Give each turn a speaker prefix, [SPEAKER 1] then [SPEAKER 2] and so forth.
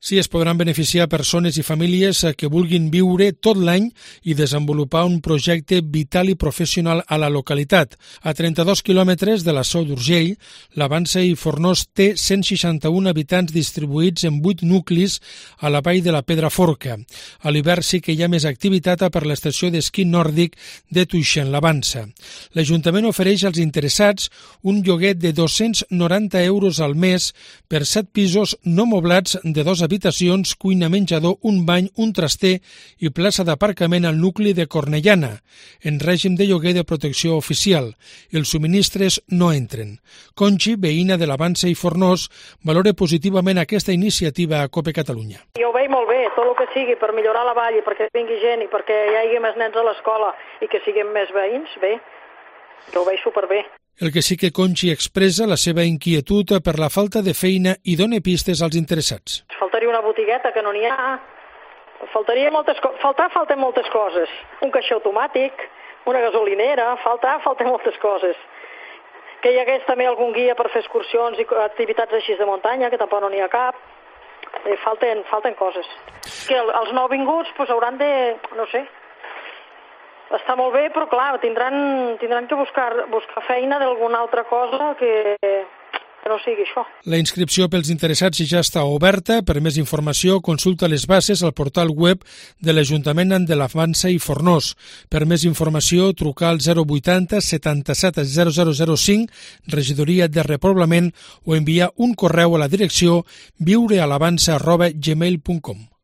[SPEAKER 1] Sí, es podran beneficiar persones i famílies que vulguin viure tot l'any i desenvolupar un projecte vital i professional a la localitat. A 32 quilòmetres de la Seu d'Urgell, la Vansa i Fornós té 161 habitants distribuïts en 8 nuclis a la vall de la Pedraforca. A l'hivern sí que hi ha més activitat per l'estació d'esquí nòrdic de Tuixén, la Vansa. L'Ajuntament ofereix als interessats un lloguer de 290 euros al mes per 7 pisos no moblats de 2 habitacions, cuina, menjador, un bany, un traster i plaça d'aparcament al nucli de Cornellana, en règim de lloguer de protecció oficial. Els subministres no entren. Conchi, veïna de la Vansa i Fornós, valora positivament aquesta iniciativa a COPE Catalunya.
[SPEAKER 2] Jo ho veig molt bé, tot el que sigui per millorar la vall i perquè vingui gent i perquè hi hagi més nens a l'escola i que siguem més veïns, bé, jo ho veig superbé.
[SPEAKER 1] El que sí que Conchi expressa la seva inquietud per la falta de feina i dona pistes als interessats.
[SPEAKER 2] Faltaria una botigueta que no n'hi ha, faltaria falten moltes coses. Un caixer automàtic, una gasolinera, falten moltes coses. Que hi hagués també algun guia per fer excursions i activitats així de muntanya, que tampoc no n'hi ha cap. Falten coses. Que els nouvinguts hauran de, no sé, està molt bé, però clar, tindran que buscar feina d'alguna altra cosa que no sigui això.
[SPEAKER 1] La inscripció pels interessats ja està oberta. Per més informació, consulta les bases al portal web de l'Ajuntament de la Vansa i Fornós. Per més informació, trucar al 080 77 0005, regidoria de repoblament, o enviar un correu a la direcció viurealavansa@gmail.com.